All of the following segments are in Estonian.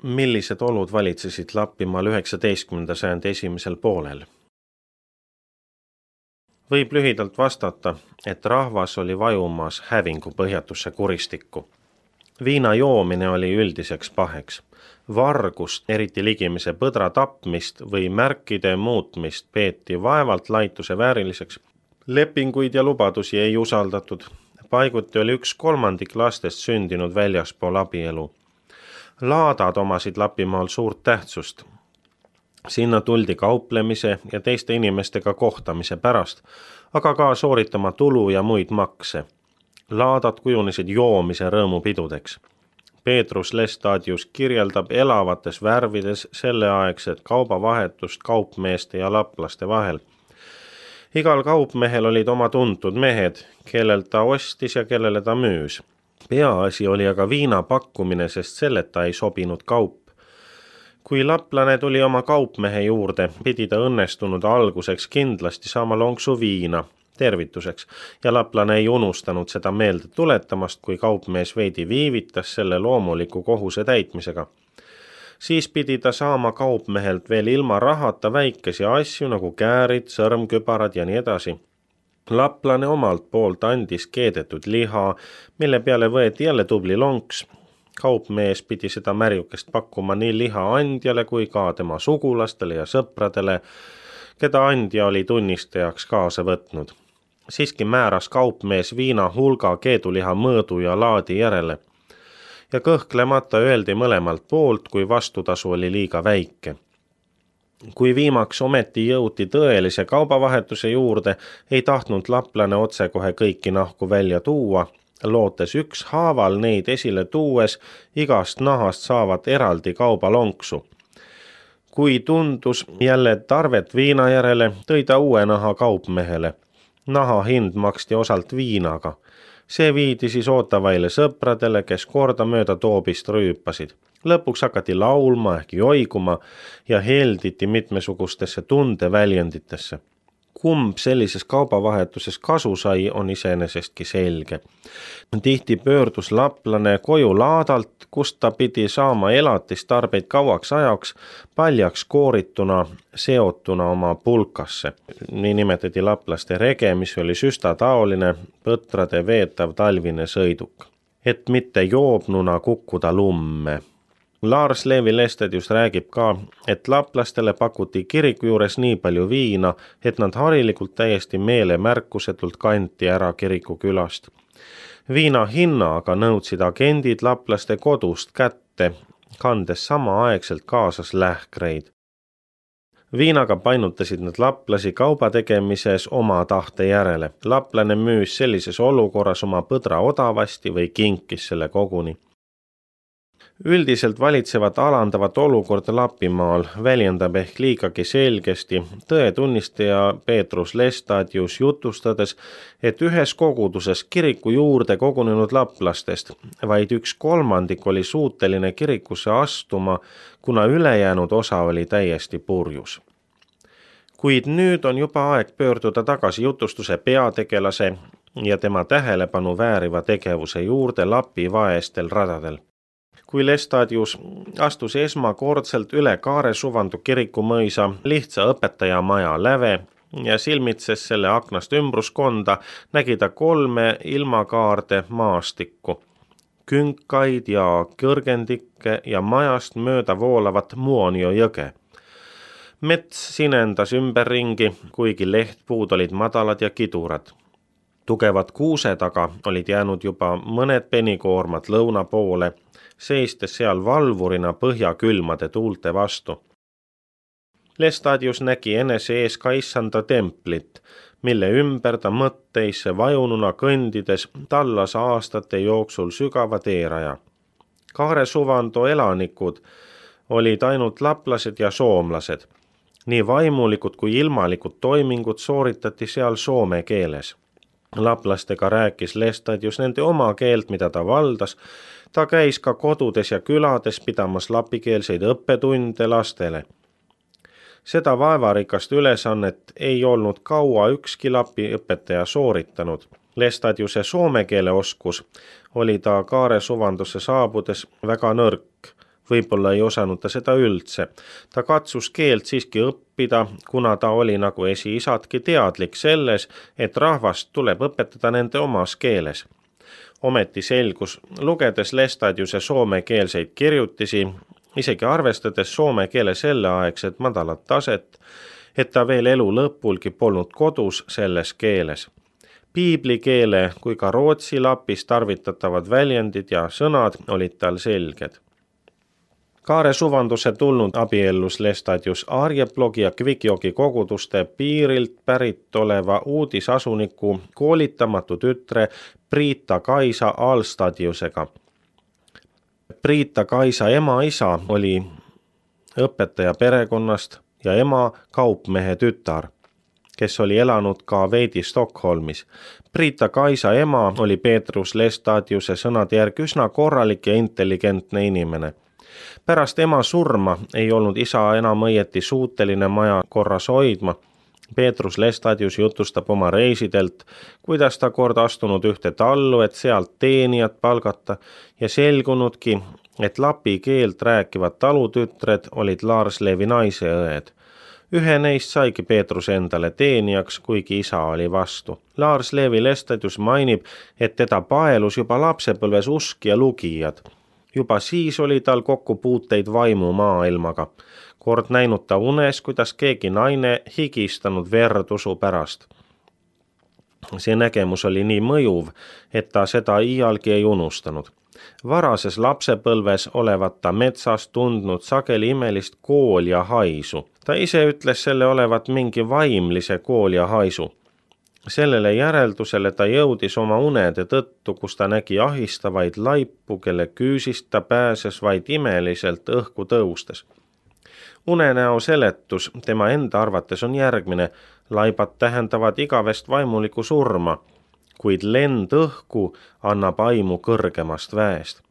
Millised olud valitsesid Lapimaal 19. sajandi esimesel poolel? Võib lühidalt vastata, et rahvas oli vajumas hävingu põhjatusse kuristikku. Viina joomine oli üldiseks paheks. Vargust, eriti ligimise põdra tapmist või märkide muutmist peeti vaevalt laituse vääriliseks. Lepinguid ja lubadusi ei usaldatud. Paiguti oli 1/3 lastest sündinud väljaspool abielu. Laadad omasid Lapimaal suurt tähtsust. Sinna tuldi kauplemise ja teiste inimestega kohtamise pärast, aga ka sooritama tulu ja muid makse. Laadad kujunesid joomise rõõmupidudeks. Peetrus Lestadius kirjeldab elavates värvides selleaegset kaubavahetust kaupmeeste ja laplaste vahel. Igal kaupmehel olid oma tuntud mehed, kellelt ta ostis ja kellele ta müüs. Peaasi oli aga viina pakkumine, sest selleta ei sobinud kaup. Kui laplane tuli oma kaupmehe juurde, pidi ta õnnestunud alguseks kindlasti saama lonksu viina tervituseks ja laplane ei unustanud seda meelde tuletamast, kui kaupmees veidi viivitas selle loomuliku kohuse täitmisega. Siis pidi ta saama kaupmehelt veel ilma rahata väikesi asju nagu käärid, sõrmkübarad ja nii edasi. Laplane omalt poolt andis keedetud liha, mille peale võeti jälle tubli lonks. Kaupmees pidi seda märjukest pakkuma nii liha andjale kui ka tema sugulastele ja sõpradele, keda andja oli tunnistajaks kaasa võtnud. Siiski määras kaupmees viina hulga keeduliha mõõdu ja laadi järele. Ja kõhklemata öeldi mõlemalt poolt, kui vastutasu oli liiga väike. Kui viimaks ometi jõuti tõelise kaubavahetuse juurde, ei tahtnud laplane otsekohe kõiki nahku välja tuua, lootes ükshaaval neid esile tuues igast nahast saavat eraldi kaubalonksu. Kui tundus jälle tarvet viina järele, tõi ta uue naha kaupmehele. Naha hind maksti osalt viinaga. See viidi siis ootavaile sõpradele, kes kordamööda toobist rüüpasid. Lõpuks hakati laulma ehk joiguma ja helditi mitmesugustesse tundeväljenditesse. Kumb sellises kaubavahetuses kasu sai, on iseenesestki selge. Tihti pöördus laplane koju laadalt, kust ta pidi saama elatistarbeid kauaks ajaks, paljaks koorituna, seotuna oma pulkasse. Nii nimetati laplaste rege, mis oli süstataoline, põtrade veetav talvine sõiduk. Et mitte joobnuna kukkuda lumme. Lars Levi Lestadius räägib ka, et laplastele pakuti kiriku juures nii palju viina, et nad harilikult täiesti meelemärkusetult kanti ära kiriku külast. Viina hinna aga nõudsid agendid laplaste kodust kätte, kandes samaaegselt kaasas lähkreid. Viinaga painutasid nad laplasi kauba tegemises oma tahte järele. Laplane müüs sellises olukorras oma põdra odavasti või kinkis selle koguni. Üldiselt valitsevat alandavat olukorda Lapimaal väljendab ehk liigagi selgesti tõetunnistaja Peetrus Lestadius jutustades, et ühes koguduses kiriku juurde kogunenud laplastest vaid 1/3 oli suuteline kirikusse astuma, kuna ülejäänud osa oli täiesti purjus. Kuid nüüd on juba aeg pöörduda tagasi jutustuse peategelase ja tema tähelepanu vääriva tegevuse juurde Lapi vaestel radadel. Kui Lestadius astus esmakordselt üle Kaaresuvandu kirikumõisa lihtsa õpetajamaja läve ja silmitses selle aknast ümbruskonda, nägi ta 3 ilmakaarde maastikku, künkaid ja kõrgendikke ja majast mööda voolavat Muonio jõge. Mets sinendas ümberringi, kuigi lehtpuud olid madalad ja kidurad. Tugevad kuused aga olid jäänud juba mõned penikoormad lõuna poole, seistes seal valvurina põhjakülmade tuulte vastu. Lestadius nägi enese ees ka issanda templit, mille ümber ta mõtteisse vajununa kõndides tallas aastate jooksul sügava teeraja. Kaaresuvando elanikud olid ainult laplased ja soomlased. Nii vaimulikud kui ilmalikud toimingud sooritati seal soome keeles. Laplastega rääkis Lestadius nende oma keelt, mida ta valdas. Ta käis ka kodudes ja külades pidamas lapikeelseid õppetunde lastele. Seda vaevarikast ülesannet ei olnud kaua ükski Lapi õpetaja sooritanud. Lestadiuse soome keele oskus oli ta Kaaresuvandusse saabudes väga nõrk. võib-olla ei osanud ta seda üldse. Ta katsus keelt siiski õppida, kuna ta oli nagu esiisadki teadlik selles, et rahvast tuleb õpetada nende omas keeles. Ometi selgus, lugedes Lestadiuse soomekeelseid kirjutisi, isegi arvestades soome keele selleaegset madalat taset, et ta veel elu lõpulgi polnud kodus selles keeles. Piiblikeele kui ka rootsi lapis tarvitatavad väljendid ja sõnad olid tal selged. Kaare suvanduse tulnud abiellus Lestadius Arjeplogi ja Kvikjoki koguduste piirilt pärit oleva uudisasuniku koolitamatu tütre Priita Kaisa Alstadiusega. Priita Kaisa ema-isa oli õpetaja perekonnast ja ema kaupmehe tütar, kes oli elanud ka veidi Stockholmis. Priita Kaisa ema oli Petrus Lestadiuse sõnade järgi üsna korralik ja intelligentne inimene. Pärast ema surma ei olnud isa enam õieti suuteline maja korras hoidma. Petrus Lestadius jutustab oma reisidelt, kuidas ta kord astunud ühte tallu, et sealt teenijat palgata ja selgunudki, et lapi keelt rääkivad talutütred olid Lars Levi naiseõed. Ühe neist saigi Peetrus endale teenijaks, kuigi isa oli vastu. Lars Levi Lestadius mainib, et teda paelus juba lapsepõlves usk ja lugijad. Juba siis oli tal kokkupuuteid vaimu maailmaga. Kord näinud ta unes, kuidas keegi naine higistanud verd usu pärast. See nägemus oli nii mõjuv, et ta seda iialgi ei unustanud. Varases lapsepõlves olevat ta metsas tundnud sageli imelist koolja haisu. Ta ise ütles selle olevat mingi vaimlise koolja haisu. Sellele järeldusele ta jõudis oma unede tõttu, kus ta nägi ahistavaid laipu, kelle küüsist ta pääses vaid imeliselt õhku tõustes. Unenäo seletus tema enda arvates on järgmine. Laibad tähendavad igavest vaimulikku surma, kuid lend õhku annab aimu kõrgemast väest.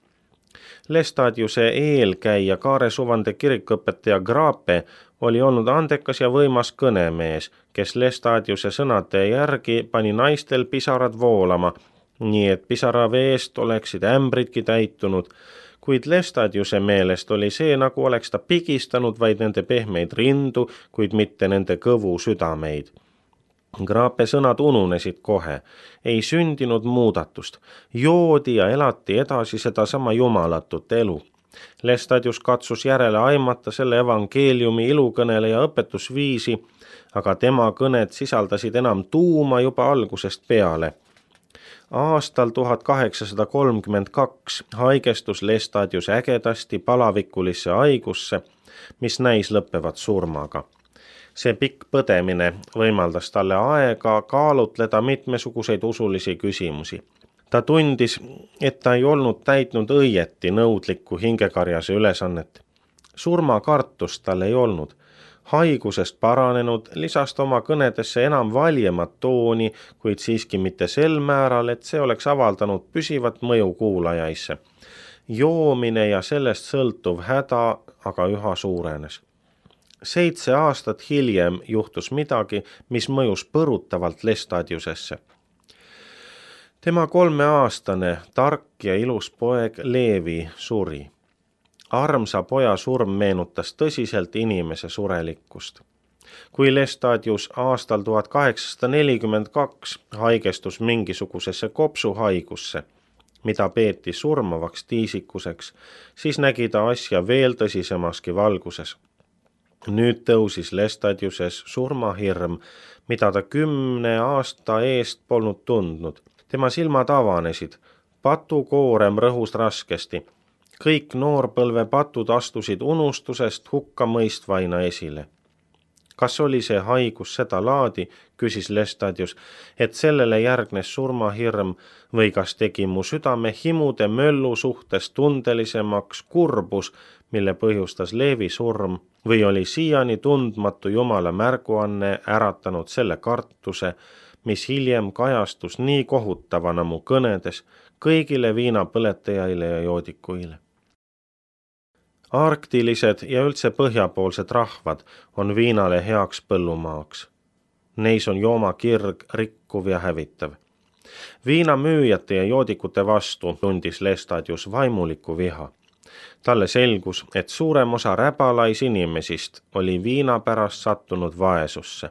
Lestadiuse eelkäija Kaare suvande kirikuõpetaja Grape oli olnud andekas ja võimas kõnemees, kes Lestadiuse sõnade järgi pani naistel pisarad voolama, nii et pisaraveest oleksid ämbridki täitunud, kuid Lestadiuse meelest oli see, nagu oleks ta pigistanud vaid nende pehmeid rindu, kuid mitte nende kõvu südameid. Grape sõnad ununesid kohe, ei sündinud muudatust, joodi ja elati edasi sedasama jumalatut elu. Lestadius katsus järele aimata selle evangeeliumi ilukõneleja õpetusviisi, aga tema kõned sisaldasid enam tuuma juba algusest peale. Aastal 1832 haigestus Lestadius ägedasti palavikulisse haigusse, mis näis lõppevat surmaga. See pikk põdemine võimaldas talle aega kaalutleda mitmesuguseid usulisi küsimusi. Ta tundis, et ta ei olnud täitnud õieti nõudlikku hingekarjase ülesannet. Surmakartust tal ei olnud. Haigusest paranenud lisas ta oma kõnedesse enam valjemat tooni, kuid siiski mitte sel määral, et see oleks avaldanud püsivat mõju kuulajaisse. Joomine ja sellest sõltuv häda aga üha suurenes. 7 aastat hiljem juhtus midagi, mis mõjus põrutavalt Lestadiusesse. Tema 3-aastane, tark ja ilus poeg Leevi suri. Armsa poja surm meenutas tõsiselt inimese surelikkust. Kui Lestadius aastal 1842 haigestus mingisugusesse kopsuhaigusse, mida peeti surmavaks tiisikuseks, siis nägi ta asja veel tõsisemaski valguses. Nüüd tõusis Lestadiuses surmahirm, mida ta 10 aasta eest polnud tundnud. Tema silmad avanesid, patukoorem rõhus raskesti. Kõik noorpõlve patud astusid unustusest hukkamõistvaina esile. Kas oli see haigus seda laadi, küsis Lestadius, et sellele järgnes surmahirm või kas tegi mu südame himude möllu suhtes tundelisemaks kurbus, mille põhjustas Leevi surm, või oli siiani tundmatu Jumala märguanne äratanud selle kartuse, mis hiljem kajastus nii kohutavana mu kõnedes kõigile viinapõletajaile ja joodikuile. Arktilised ja üldse põhjapoolsed rahvad on viinale heaks põllumaaks. Neis on joomakirg rikkuv ja hävitav. Viinamüüjate ja joodikute vastu tundis Lestadius vaimulikku viha. Talle selgus, et suurem osa räbalaisinimesist oli viina pärast sattunud vaesusse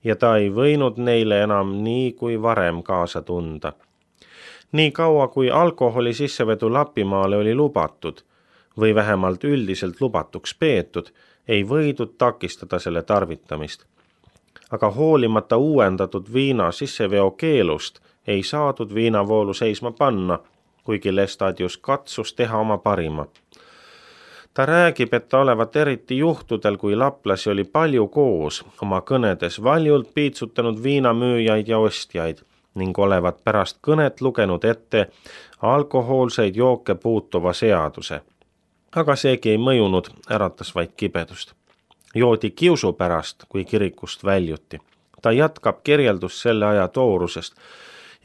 ja ta ei võinud neile enam nii kui varem kaasa tunda. Nii kaua kui alkoholi sissevedu Lapimaale oli lubatud või vähemalt üldiselt lubatuks peetud, ei võidud takistada selle tarvitamist. Aga hoolimata uuendatud viina sisseveo keelust ei saadud viinavoolu seisma panna, kuigi Lestadius katsus teha oma parima. Ta räägib, et ta olevat eriti juhtudel, kui laplasi oli palju koos, oma kõnedes valjult piitsutanud viinamüüjaid ja ostjaid ning olevat pärast kõnet lugenud ette alkohoolseid jooke puutuva seaduse. Aga seegi ei mõjunud, äratas vaid kibedust. Joodi kiusu pärast, kui kirikust väljuti. Ta jätkab kirjeldust selle aja toorusest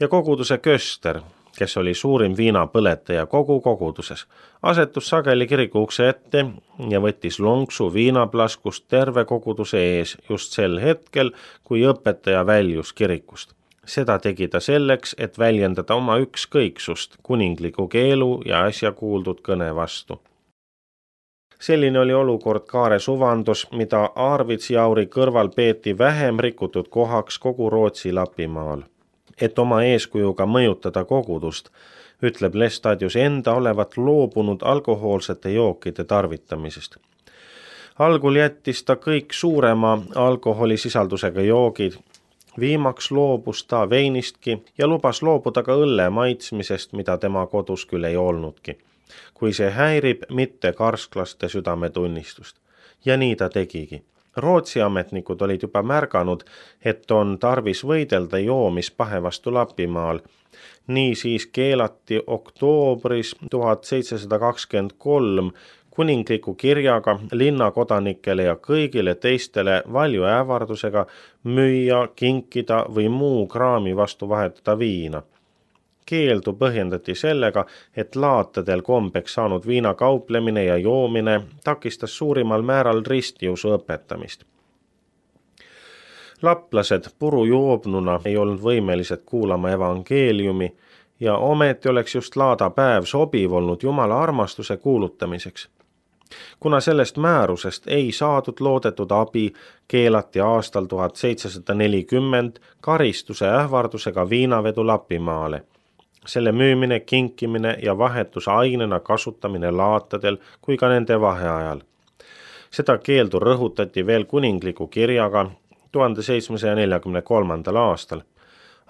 ja koguduse köster, kes oli suurim viinapõletaja kogu koguduses, asetus sageli kiriku ukse ette ja võttis lonksu viinaplaskust terve koguduse ees just sel hetkel, kui õpetaja väljus kirikust. Seda tegi ta selleks, et väljendada oma ükskõiksust kuningliku keelu ja äsja kuuldud kõne vastu. Selline oli olukord Kaare suvandos, mida Arvidsjauri kõrval peeti vähem rikutud kohaks kogu Rootsi Lapimaal. Et oma eeskujuga mõjutada kogudust, ütleb Lestadius enda olevat loobunud alkohoolsete jookide tarvitamisest. Algul jättis ta kõik suurema alkoholisisaldusega joogid, viimaks loobus ta veinistki ja lubas loobuda ka õlle maitsmisest, mida tema kodus küll ei olnudki, kui see häirib mitte karsklaste südametunnistust. Ja nii ta tegigi. Rootsi ametnikud olid juba märganud, et on tarvis võidelda joomispahe vastu Lapimaal. Nii siis keelati oktoobris 1723 kuningliku kirjaga linnakodanikele ja kõigile teistele valju ähvardusega müüa, kinkida või muu kraami vastu vahetada viina. Keeldu põhjendati sellega, et laatadel kombeks saanud viina kauplemine ja joomine takistas suurimal määral ristiusu õpetamist. Laplased purujoobnuna ei olnud võimelised kuulama evangeeliumi ja ometi oleks just laadapäev sobiv olnud Jumala armastuse kuulutamiseks. Kuna sellest määrusest ei saadud loodetud abi, keelati aastal 1740 karistuse ähvardusega viinavedu Lapimaale. Selle müümine, kinkimine ja vahetusainena kasutamine laatadel kui ka nende vaheajal. Seda keeldu rõhutati veel kuningliku kirjaga 1743. aastal.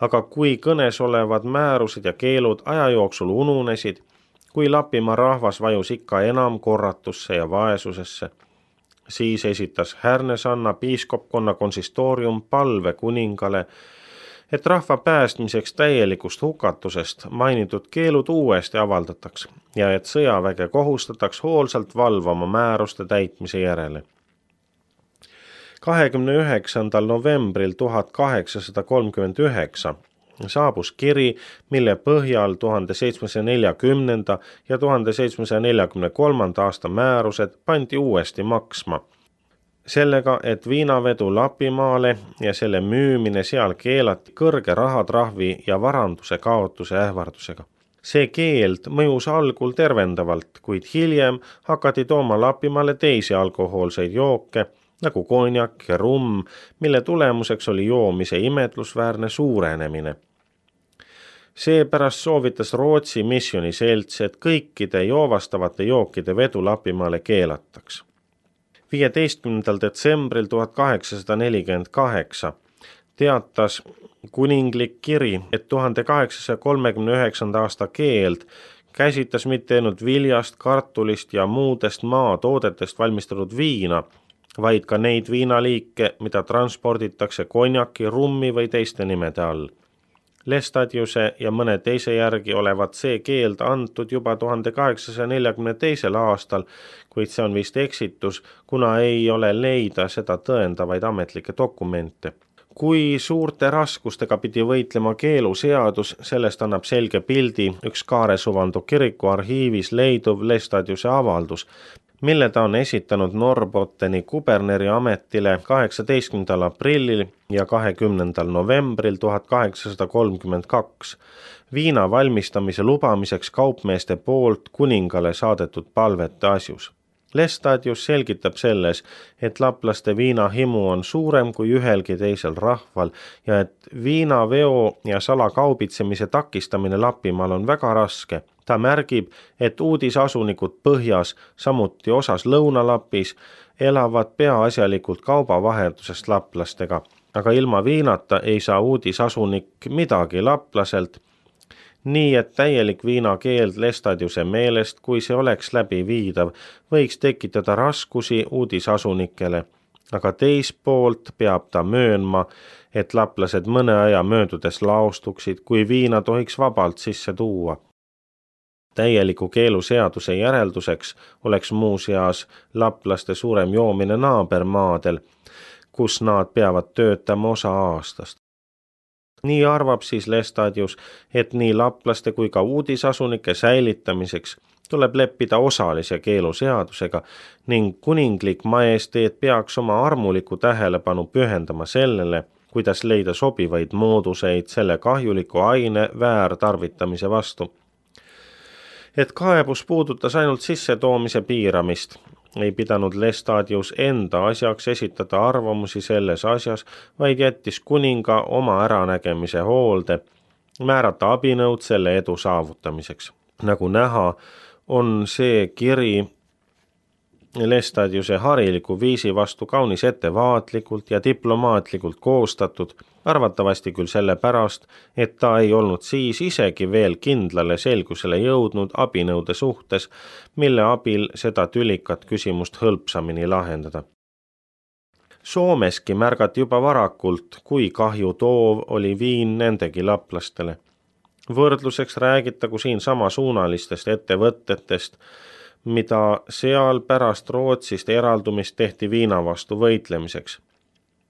Aga kui kõnes olevad määrused ja keelud aja jooksul ununesid, kui Lapimaa rahvas vajus ikka enam korratusse ja vaesusesse, siis esitas Härnesanna piiskopkonna konsistoorium palve kuningale, et rahva päästmiseks täielikust hukatusest mainitud keelud uuesti avaldataks ja et sõjaväge kohustataks hoolsalt valvama määruste täitmise järele. 29. novembril 1839 saabus kiri, mille põhjal 1740. ja 1743. aasta määrused pandi uuesti maksma. Sellega, et viinavedu Lapimaale ja selle müümine seal keelati kõrge rahatrahvi ja varanduse kaotuse ähvardusega. See keeld mõjus algul tervendavalt, kuid hiljem hakati tooma Lapimaale teisi alkohoolseid jooke, nagu konjak ja rumm, mille tulemuseks oli joomise imetlusväärne suurenemine. Seepärast soovitas Rootsi misjoniselts, et kõikide joovastavate jookide vedu Lapimaale keelataks. 15. detsembril 1848 teatas kuninglik kiri, et 1839. aasta keeld käsitles mitte ainult viljast, kartulist ja muudest maatoodetest valmistatud viina, vaid ka neid viinaliike, mida transporditakse konjaki, rummi või teiste nimede all. Lestadiuse ja mõne teise järgi olevat see keeld antud juba 1842. aastal, kuid see on vist eksitus, kuna ei ole leida seda tõendavaid ametlikke dokumente. Kui suurte raskustega pidi võitlema keeluseadus, sellest annab selge pildi üks Kaare suvando kiriku arhiivis leiduv Lestadiuse avaldus, mille ta on esitanud Norrbotteni kuberneri ametile 18. aprillil ja 20. novembril 1832 viina valmistamise lubamiseks kaupmeeste poolt kuningale saadetud palvete asjus. Lestadius selgitab selles, et laplaste viinahimu on suurem kui ühelgi teisel rahval ja et viinaveo ja salakaubitsemise takistamine Lapimaal on väga raske. Ta märgib, et uudisasunikud põhjas, samuti osas Lõuna-Lapis, elavad peaasjalikult kaubavahetusest laplastega, aga ilma viinata ei saa uudisasunik midagi laplaselt, nii et täielik viinakeeld Lestadiuse meelest, kui see oleks läbiviidav, võiks tekitada raskusi uudisasunikele, aga teispoolt peab ta möönma, et laplased mõne aja möödudes laostuksid, kui viina tohiks vabalt sisse tuua. Täieliku keeluseaduse järelduseks oleks muuseas laplaste suurem joomine naabermaadel, kus nad peavad töötama osa aastast. Nii arvab siis Lestadius, et nii laplaste kui ka uudisasunike säilitamiseks tuleb leppida osalise keeluseadusega ning kuninglik majesteet peaks oma armuliku tähelepanu pühendama sellele, kuidas leida sobivaid mooduseid selle kahjuliku aine väärtarvitamise vastu. Et kaebus puudutas ainult sissetoomise piiramist, ei pidanud Lestadius enda asjaks esitada arvamusi selles asjas, vaid jättis kuninga oma äranägemise hoolde, määrata abinõud selle edu saavutamiseks. Nagu näha, on see kiri Lestadiuse hariliku viisi vastu kaunis ettevaatlikult ja diplomaatlikult koostatud, arvatavasti küll sellepärast, et ta ei olnud siis isegi veel kindlale selgusele jõudnud abinõude suhtes, mille abil seda tülikat küsimust hõlpsamini lahendada. Soomeski märgati juba varakult, kui kahju toov oli viin nendegi laplastele. Võrdluseks räägitagu siin samasuunalistest ettevõtetest, mida seal pärast Rootsist eraldumist tehti viina vastu võitlemiseks.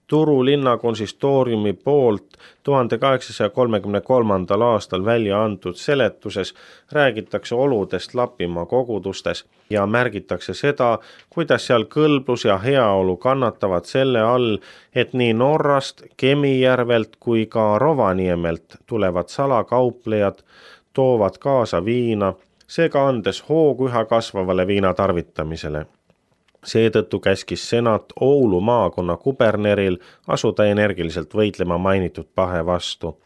Turu linna konsistooriumi poolt 1833. aastal välja antud seletuses räägitakse oludest Lapimaa kogudustes ja märgitakse seda, kuidas seal kõlblus ja heaolu kannatavad selle all, et nii Norrast, Kemijärvelt kui ka Rovaniemelt tulevad salakauplejad toovad kaasa viina, seega andes hoogu üha kasvavale viina tarvitamisele. Seetõttu käskis senat Oulu maakonna kuberneril asuda energiliselt võitlema mainitud pahe vastu.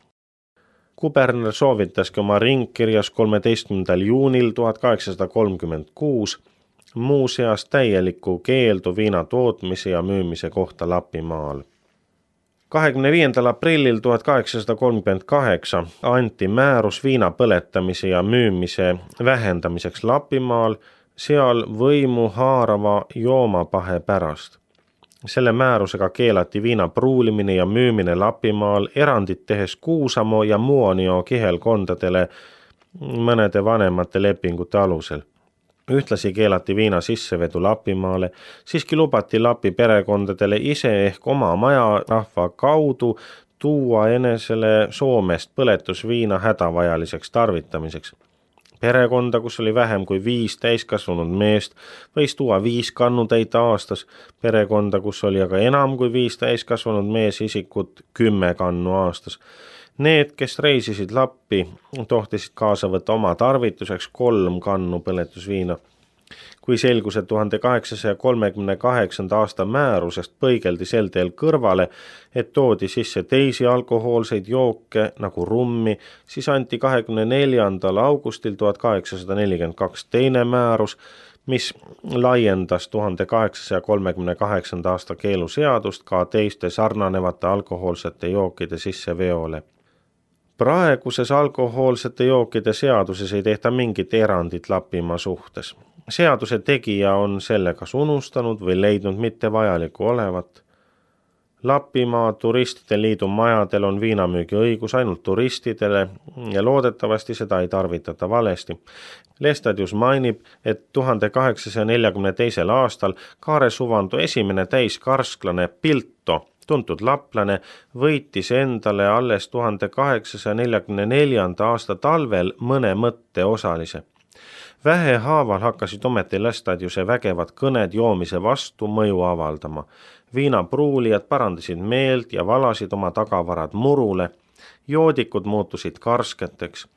Kuberner soovitaski oma ringkirjas 13. juunil 1836 muuseas täielikku keeldu viina tootmise ja müümise kohta Lapimaal. 25. aprillil 1838 anti määrus viina põletamise ja müümise vähendamiseks Lapimaal, seal võimu haarava joomapahe pärast. Selle määrusega keelati viina pruulimine ja müümine Lapimaal, erandit tehes Kuusamo ja Muonio kihelkondadele mõnede vanemate lepingute alusel. Ühtlasi keelati viina sissevedu Lapimaale, siiski lubati Lapi perekondadele ise ehk oma majarahva kaudu tuua enesele Soomest põletusviina hädavajaliseks tarvitamiseks. Perekonda, kus oli vähem kui 5 täiskasvanud meest, võis tuua 5 kannutäit aastas, perekonda, kus oli aga enam kui 5 täiskasvanud meesisikut 10 kannu aastas. Need, kes reisisid Lappi, tohtisid kaasa võtta oma tarvituseks 3 kannu põletusviina. Kui selgus, et 1838. aasta määrusest põigeldi sel teel kõrvale, et toodi sisse teisi alkohoolseid jooke nagu rummi, siis anti 24. augustil 1842 teine määrus, mis laiendas 1838. aasta keeluseadust ka teiste sarnanevate alkohoolsete jookide sisseveole. Praeguses alkohoolsete jookide seaduses ei tehta mingit erandit Lapimaa suhtes. Seaduse tegija on selle kas unustanud või leidnud mitte vajaliku olevat. Lapimaa turistide liidu majadel on viinamüügi õigus ainult turistidele ja loodetavasti seda ei tarvitata valesti. Lestadius mainib, et 1842. aastal Kaare Suvanto esimene täiskarsklane Pilto, tuntud laplane, võitis endale alles 1844. aasta talvel mõne mõtte osalise. Vähehaaval hakkasid ometi Lestadiuse vägevad kõned joomise vastu mõju avaldama. Viinapruulijad parandasid meelt ja valasid oma tagavarad murule. Joodikud muutusid karsketeks.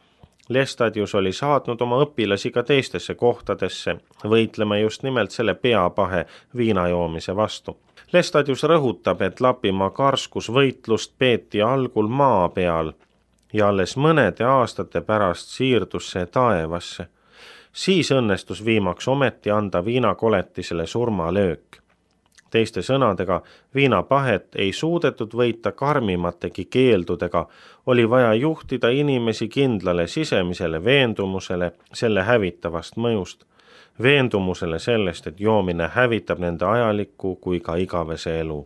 Lestadius oli saatnud oma õpilasi ka teistesse kohtadesse, võitlema just nimelt selle peapahe viinajoomise vastu. Lestadius rõhutab, et Lapimaa karskusvõitlust peeti algul maa peal ja alles mõnede aastate pärast siirdus see taevasse. Siis õnnestus viimaks ometi anda viinakoletisele surmalöök. Teiste sõnadega, viinapahet ei suudetud võita karmimategi keeldudega, oli vaja juhtida inimesi kindlale sisemisele veendumusele selle hävitavast mõjust, veendumusele sellest, et joomine hävitab nende ajalikku kui ka igavese elu.